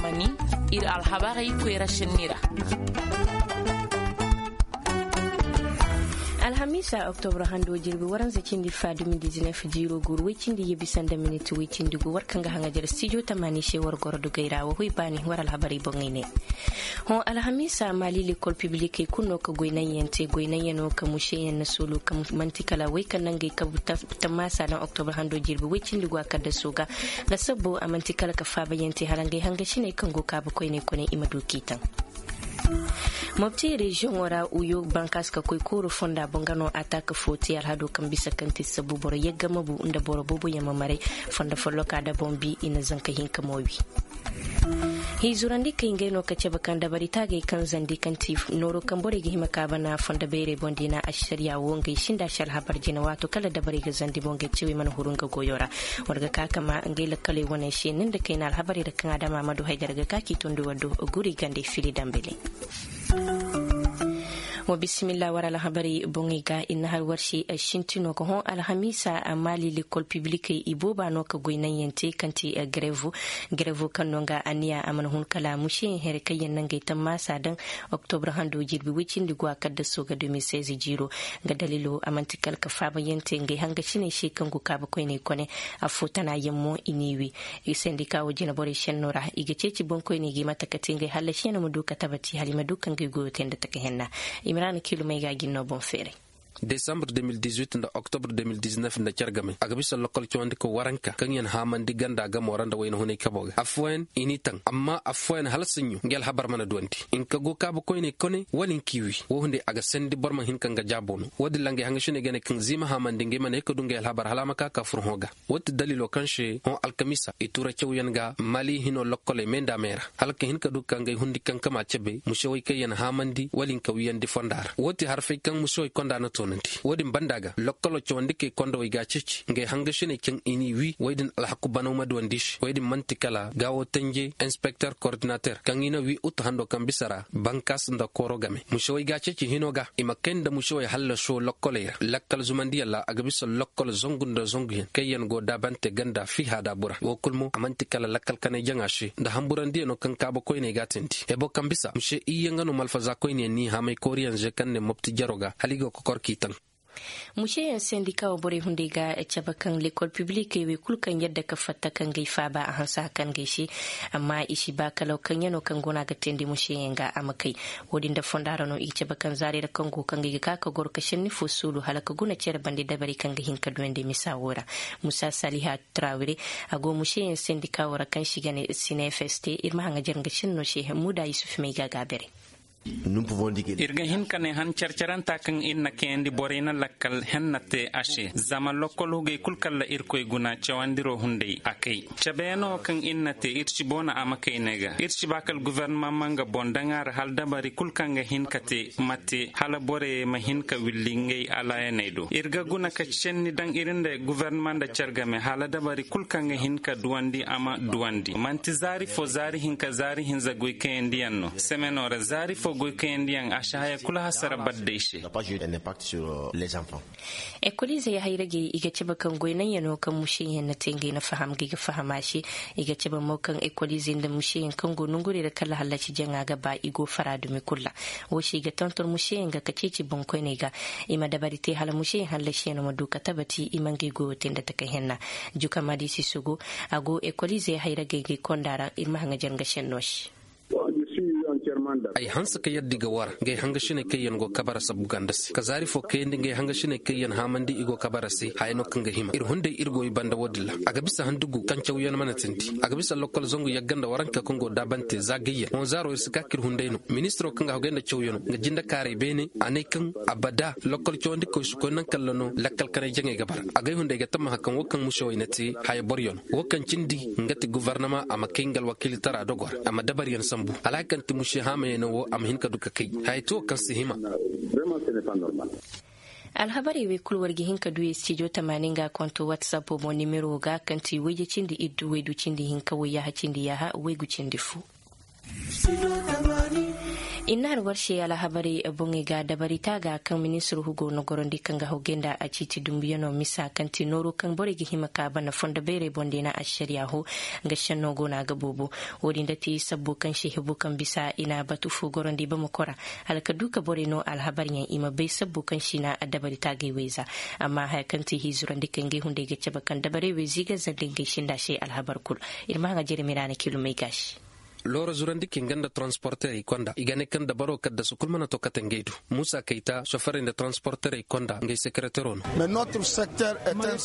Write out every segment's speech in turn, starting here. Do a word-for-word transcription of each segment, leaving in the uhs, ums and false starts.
Mani, ir alhabarey koyra senni ra. Alhamiisa oktobra hando jirbi waranza cindi fa dumidizinef jiiro guuru woy cindi yee bisa nda minit woy cindi gu war kaŋ ga haŋajer stijo tamaani se war goro dugey ra wa hoy baani war alhabarey boŋey ne. Hõ alhamiisa maali lekol pibilikey kulu no ka goy naŋyaŋ te goy naŋyaŋo ka museyaŋ na soolu ka man'ti kala wey kaŋ na ngey kabu tammaasa daŋ oktobra hando jirbi woy cindi gu a kaddaso ga. Lasabbo a man'ti kala ka faabayaŋ te hala ngey hangasiney kaŋ go kaabakoyney kone i ma du k'i taŋ. Mopti reziyoŋo ra uyo bankaas ka koy kooro fonda boŋ ga no ataaka fo te alhado kaŋ bisa kaŋ ti sabu boro yagga ma bu nda boro booboyaŋ ma maray. Fondo folloka da boŋ bi i na zanka hinka mo wi. Hiizurandi kay ngey no ka cabe kaŋ dabari taagey kaŋ zandi kaŋ ti nooro kaŋ borey ga hima ka bana fondo beerey boŋ da i na ašariya wo ngey sinda si alhabar jina waato kala dabarey ga zandi boŋ ngey cewey mana huru nga goyo ra. War ga ka ka ma ngey lakkaley wane se ni nda kayna alhabarey ra kaŋ adama ma du haydara ga ka k'i tondi war do guri gandey fili dambeley. Wa bisimilla war alhabarey boŋey ga i na har war se sintino ga hõ alhamiisa maali lekol pibilikey ibooba no ka goy naŋyaŋ te kaŋ ti gareevo. Gareevo kaŋ no nga aniya a mana hun kala museyaŋ here kaŋ yaŋ na ngey tammaasa daŋ. Oktobra hando jirbi woy cindi gu a kaddaso ga de mil seize jiiro. Nga daliilo a man'ti kala ka faabayaŋ te ngey hangasiney se kaŋ go kaabakoyney kone. Affoo tana yaŋ mo i n'i wi. Sendika wo jinaborey senno ra i ga ceeci boŋkoyney ga i mate ka te ngey hallasiyaŋ no ma du ka tabati hala i ma du ka ngey goyo te nda taka henna. Imiraana kiilumey ga a jin no boŋ feeray. Desambre de mil dizuit nda oktobr de mil diznef nda cargamey a ga bisa lokol cawandiko waranka kaŋ yaŋ haamandi ganda gamo ra nda wayna hunay kabo ga affooyaŋ i n'i taŋ amma affooyaŋ hala saɲɲo ngi alhabar mana duwandi. Nka go kaabakoyney kone wala nki wi. Wo hunday a ga sandi boro ma hin ka nga jaabo no. Wo-din ra ngey hangasiney ga ne kaŋ ziima haamandi ngey mana ye ka du ngey alhabar hala a ma ka ka fur hõ ga. Wo ti daliilo kaŋ se hõ alkamiisa i tuura cawyaŋ ga mali hino lokkoley me nda me ra hala ka hin ka du ka ngey hundi kankama cabe musewey kaŋ yaŋ haamandi wala nka wiyandi fonda ra wo ti harfey kaŋ musewey konda na toonandi wo-din banda ga lokkolo cawandikey kondowey ga a ceeci ngey hangasiney kaŋ i n'i wi wey din alhaku banaw ma duwandi se wey din man'ti kala gaawo tanje inspekter kordinater kaŋ i na wi utu hando kaŋ bisa ra bankas nda kooro game musewey ga a ceeci hino ga i ma kay nda musewey hallaso lokkoley ra lakkal zumandiyaŋ ra a ga bisa lokkol zangu nda zanguyaŋ kaŋ yaŋ go daabante ganda fiiha daabura wo kulu mo a man'ti kala lakkal kanay jaŋa se nda hamburandiyaŋo kaŋ kaabakoyney ga a tindi ebo kaŋ bisa muse iyye nga no malfazakoyneyaŋ n'i haamay kooriyaŋ ze kaŋ ne mopti jaro ga hala i go kokor k'i taŋ. Museyaŋ sendika wo borey hunday ga cabe kaŋ lekol pibilikey wey kulu kaŋ yadda ka fatta ka ngey faaba a hanse hakan ngey se. Amma i si ba kala kaŋ yano kaŋ go no a ga teendi museyaŋ ga a ma kay. Wo-din nda fonda ra no i ga cabe kaŋ zaarey ra kaŋ go kaŋ ga i ga ka ka goro ka senni fo suulu hala ka guna cere bande dabari kaŋ ga hin ka duyandi misa wo ra. Musa saliha trawire a go museyaŋ sendika wo ra kaŋ se i ga ne sinefeste ir ma haŋajer nga senno se. Muda yusuf may ga a gaabere. Ir ga hin ka ne han care-caranta kaŋ ir na kayandi borey na lakkal henna te a se zama lokkol hugey kul kalla irkoy guna cawandiro hunday a kay. Cabeyaŋo kaŋ ir na te ir si boona a ma kay ne ga ir si ba kala guverneman ma nga boŋ daŋ a ra hala dabari kul kaŋ ga hin ka te ma te hala borey ma hin ka willi ngey alaayaney do ir ga guna ka senni daŋ ir nda guverneman nda care game hala dabari kul kaŋ ga hin ka duwandi a ma duwandi manti zaari fo zaari hinka zaari hinza goy kayandiyaŋ no semeno ra zaari fo goy kayandiyaŋ a si haya kulu hasara badday se. Ekoliizey hayragey i ga cabe kaŋ goy naŋyaŋo kaŋ museyaŋ na te ngey na faham ga i ga faham a se. I ga cabe mo kaŋ ekoliizey nda museyaŋ kaŋ go nongurey ra kala hallasi jaŋa ga ba i go fara dumi kulu ra. Wo se i ga tonton museyaŋ ga ka ceeci boŋkoyney ga i ma dabari te hala museyaŋ hallasiyaŋo ma du ka tabati i ma ngey goyo te nda taka henna. Juka madi sisogo a go ekoliizey hayragey ga i konda ra ir ma haŋa jarŋa senno se. Ay hanse ka yadda i ga wara ngey hangasiney kaŋ yaŋ go kabara sabu ganda se ka zaari fo kayandi ngey hangasiney kaŋ yaŋ haamandi i go kabara se haya no kaŋ ga hima ir hunday ir go i banda wo-din ra a ga bisa handugu kaŋ cawyaŋ mana tindi a ga bisa lokkol zangu yagga nda waranka kaŋ go daabante za gayyaŋ hõ zaaro ir si ka ka ir hunday no ministiro kaŋ ga hagay nda cawyaŋo nga jinde kaaray beene a ne kaŋ abada lokkol cawandikoy si koy naŋ kalla no lakkal kanay jaŋay ga bara agay hunday ga tammaha kaŋ wo kaŋ musewey na te haya boryaŋo wo kaŋ cindi nga ti guvarnama a ma kay nga alwakiilitara dogo ra a ma dabaryaŋ sambu hala hari kaŋ ti muse haamayaŋo wo a ma hin ka du ka kay haya ti wo kaŋ si hima. Alhabarey wey kulu war ga hin ka du ye stijo tamaani nga konto watsappo boŋ nimero ga kaŋ ti wayye cindi iddu waydu cindi hinka wayyaaha cindi yaaha waygu cindi fu. Innaari warse alhabarey boŋey ga dabari taaga kaŋ ministir hugo na gorandi kaŋ ga hawgay nda a ciiti dumbuyanoo misa kaŋ ti nooroo kaŋ borey ga hima ka bana fondo beerey boŋ da i na ašariya hoo. Nga šennoo go no a ga boobo. Wo-din da ti sabbo kaŋ se hebo kaŋ bisa i na batu foo gorandi bamako ra, hala ka du ka borey noo alhabaryaŋ i ma bay sabbo kaŋ se i na dabari taagay wayza. Amma haya kaŋ ti hiizurandi kaŋ ngey hunday ga cabe kaŋ dabarey wayza i ga zandi ngey sinda se alhabar kul. Ir ma haŋa jeremi ra na kilumey gaasi. Loora zurandi kaŋ ga nda taransporterey konda i ga ne kaŋ dabaroo kaddasu kul mana to kate ngey do. Muusa kayta soferey nda taransporterey konda ngey sekereteroo no. Amma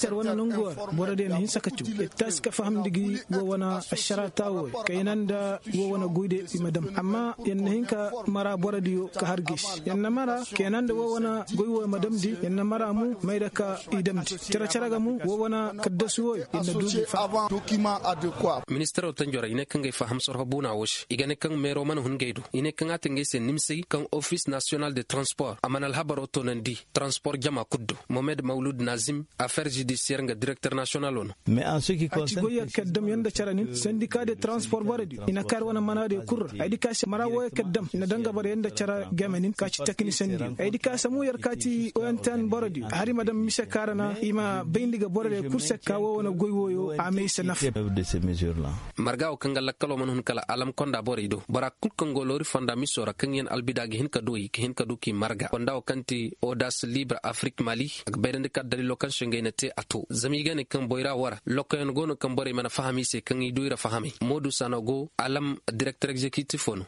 ir wane nangu war boro diyo na hinsa ka caw ir taasi ka fahamndi gi wo wane ašaraa taawoo ya kayna nda wo wane goy diyo i ma dam amma yer na hin ka mara boro diyo ka har gaysi yer na mara kayna nda wo wane goy woo ya ma damndi yer na mara mo may nda ka i damndi cere-cere ga mo wo wane kaddasu wooyo yer na du gi fa. Ministaroo tanjorey i ne kaŋ ga ay faham sorho buuna woo se i ga ne kaŋ meeroo mana hun ngey do i ne kaŋ a te ngey se nimsey kaŋ ofis nasiyonal de transpor a mana alhabaroo toonandi transpor jama kul do. Mohamed mawlud nazim, afer judisiyer nga direkter nasiyonaloo no. A ci goyyo kaŋ dam yer nda cere nin sendika de transpor borodiyo i na kaa yer wane manaadiyo kul ra ay di ka se mara wooyo kaŋ dam i na daŋ ga boro yer nda cere game nin ka ci teknisendiyo ay di ka se mo yer ka ti goyantan borodiyo har i ma daŋ mise kaŋ ra na i ma bayndi ga borodiyo kul se ka woo wane goy wooyo a ma ay se nafa. Marga woo kaŋ ga lakkaloo mana hun kala alam konda borey do bora kul kaŋ go loori fonda misoo ra kaŋ yen albida ga hin ka du i ga hin ka du k'i marga fonda woo kaŋ ti odas libre afrik mali a ga bayrandi ka daliiloo kaŋ se ngey na te a to zama i ga ne kaŋ boyra woo ra lokkoyaŋ go no kaŋ borey mana faham i se kaŋ i du i ra fahamay moodu sano go alam direkter egzekitifoo no.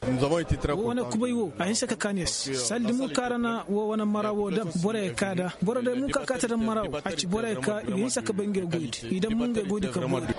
Woo wane kubay woo a hinsa ka kaan yer se saldi mo kaŋ ra na woo wane mara woo dam borey kaa nda boro day mo kaŋ a kaa ta dam mara woo a ci borey kaa i ga hinsa ka bay ngey goydi i dam mo ngey goydi ka goydi.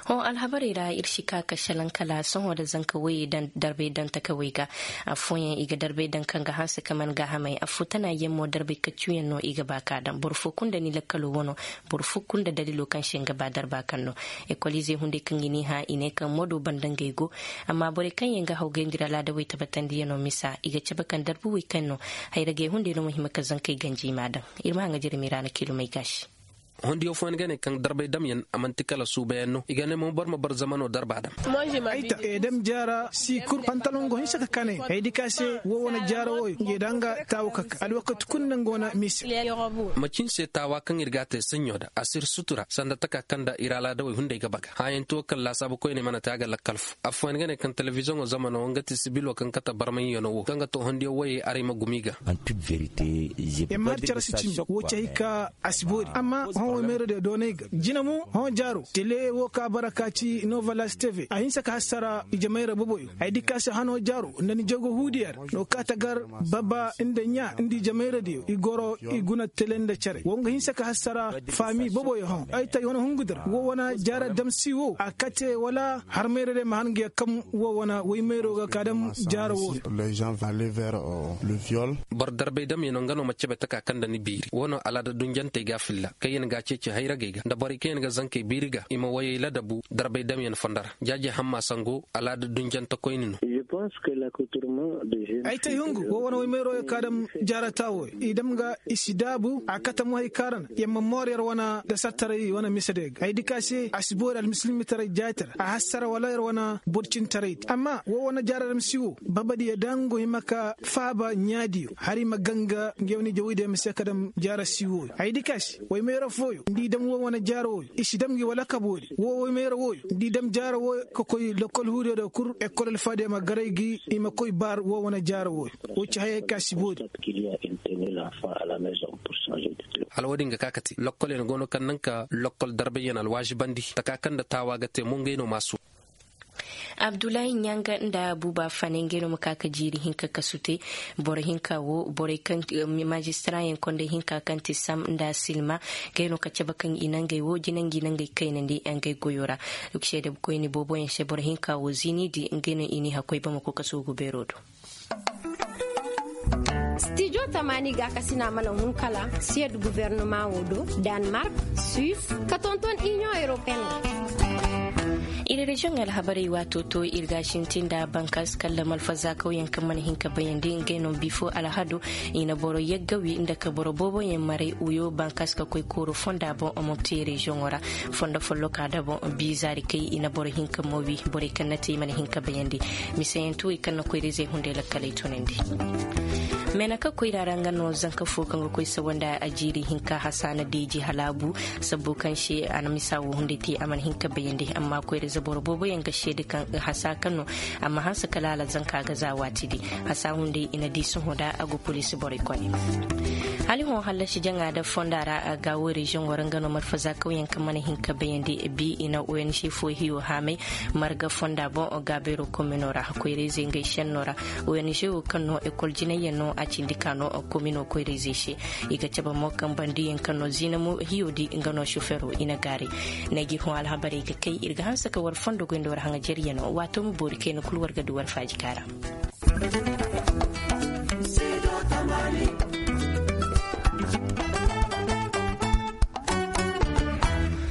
Hõ alhabarey ra ir si ka ka šelaŋ kala sohõ nda zanka woyey darbey daŋ takawey ga. Affooyaŋ i ga darbey daŋ kaŋ ga hanse ka man gaahamey affoo tana yaŋ mo darbey kaccuyaŋ no i ga ba ka daŋ boro foo kul nda ni lakkaloo wano. Boro foo kul nda daliiloo kaŋ se nga ba darba kaŋ no. Ekoliizey hunday kaŋ i n'i hã i ne kaŋ moodoo banda ngey go. Amma borey kaŋ yaŋ ga hawgay nda ir alaadawey tabatandiyanoo misa i ga cabe kaŋ darbuwey kaŋ no. Hayragey hunday no ma hima ka zankey ganji i m'a daŋ. Ir ma haŋa jirmi ra na kiilumey gaasi. Hondiyo fooyaŋ ga ne kaŋ darbay damyaŋ a man'ti kala suubayaŋ no i ga ne mo boro ma bar zamanoo darba dam. Ay ta edam jaara si kul pantaloŋ go hinsa ka kaanay ay di ka se woo wane jaara wooyo ngey da nga taawa ka ka alwakati kul nda nga wane mise. Macin se taawa kaŋ ir g'a te saɲɲo da a si ir sutura sanda taka kaŋ nda ir alaadawey hunday ga baga hãyanti woo kaŋ laasaabu koyney mana te a ga lakkal foo affooyaŋ ga ne kaŋ telebiziyoŋo zamanoo nga ti sibiloo kaŋ kate barmayaŋo woo kaŋ ga to hondiyo woyey aray ma gumi ga. Yer ma har care si cindi woo ci hay ka a si boori amma hõ woy mayra diyo doonay ga jina mo hõ jaaro tele woo ka bara ka ci novalas tv a hinsa ka hassara ije mayra boboyo ay di ka se hano jaaro nda ni jogo huudiyer no ka ta gar baba nda ɲaa nda ije mayra diyo i goro i guna tele nda care woo nga hinsa ka hassara faami boboyo hõ ay ta i wane hungu dir woo wane jaara damsi woo a kate wala har mayra diyo ma har nga yakkam woo wane woy mayro ga ka dam jaaro woo. Boro darbay damyaŋo nga no ma cabe taka kaŋ nda ni biiri woo no alaada dunjantey ga a filla kaŋ yaŋ ga a ceeci hayragey ga nda borey kaŋ yaŋ ga zankey biiri ga i ma woyey ladabu darbay damyaŋ fondo ra. Jaaje hamma sango alaada dunjante koyne no. Ay ta i hungu woo wane woy mayroyo ka dam jaarata wooyo i dam ga i si daabu a kate mo hay kaŋ ra na yer ma moor yer wane dasartaray wane misediyo ga ay di ka se a si boori almisilmitaray jaaytaray a hassara wala yer wane borcintaraydi amma woo wane jaara damsi woo babadiyo da nga go hima ka faaba ɲaadiyo har i ma ganga nga yer wane jawaydiyo ma se ka dam jaara si wooyo ay di ka se woy mayra fooyo nda i dam woo wane jaara wooyo i si dam gi wala kaboodi woo woy mayra wooyo nda i dam jaara wooyo ka koy lokkol huudiyo do kul ekkol alfaadiyo ma garay gi i ma koy baar woo wane jaara wooyo. Woo ci hayey ka si boori. Hala woo din ga ka kate lokkolyaŋ go no kaŋ naŋ ka lokkol darbayyaŋ alwaazibandi taka kaŋ nda taawa ga te mo ngey no maasu. Abdullahi ɲanga nda buuba fane ngey no ma ka ka jiiri hinka kasu te. Boro hinka wo borey kaŋ maazistarayaŋ konday hinka kaŋ ti sam nda silma ngey no ka cabe kaŋ i na ngey wo jinanji na ngey kaynandi ngey goyo ra. Seede koyne booboyaŋ se boro hinka wo ziinidi ngey no i n'i hakkoy bamako kasu ga beero do. Stijo tamaani gaakasina mana hun kala siyed guvernema wo do, danmark, suis, ka tonton inion europeen ra. Ir reziyoŋ alhabarey waato to ir ga a sinti nda bankas kalla malfaza kawyaŋ kaŋ mana hin ka bayandi ngey no bifo alhado. I na boro yagga wi nda ka boro booboyaŋ maray uyo bankas ka koy kooru fonda boŋ a mopti reziyoŋo ra. Fondo folloka da boŋ biizaari kay i na boro hin ka mo wi. Borey kaŋ na te i mana hin ka bayandi misayaŋ tuwey kaŋ na koyra-izey hunday lakkaley tunandi. Meena ka koyra ra nga no zanka fo kaŋ ga koy sawa nda a jiiri hinka hasa na deeji hala a bu. Sabbo kaŋ se a na misa wo hunday te a mana hin ka bayandi amma koyra za boro booboyaŋ ga seede kaŋ hasa kaŋ no. Amma hanse kala hala zanka ga za waati di hasa hunday i na di sohõ da a go poliisi borey kone. Hala i hõ hallasi jaŋa da fonda ra a ga wo reziyoŋo ra nga no marfaza kawyaŋ kaŋ mana hin ka bayandi bi i na ong fo hiyo haamay. Marga fonda boŋ gaabeero komino ra koyra-izey ngey senno ra. Ong wo kaŋ no ekol jinayyaŋ no a cindi ka no komino koyra-izey se. I ga cabe mo kaŋ bandiyaŋ kaŋ no ziina mo hiyo di nga no sofero i na gaari. Ney g'i hõ alhabarey ga kay ir ga hanse ka war fondo goy nda war haŋajeryaŋo waato ma boori kayna kul war ga du war faaji kaara.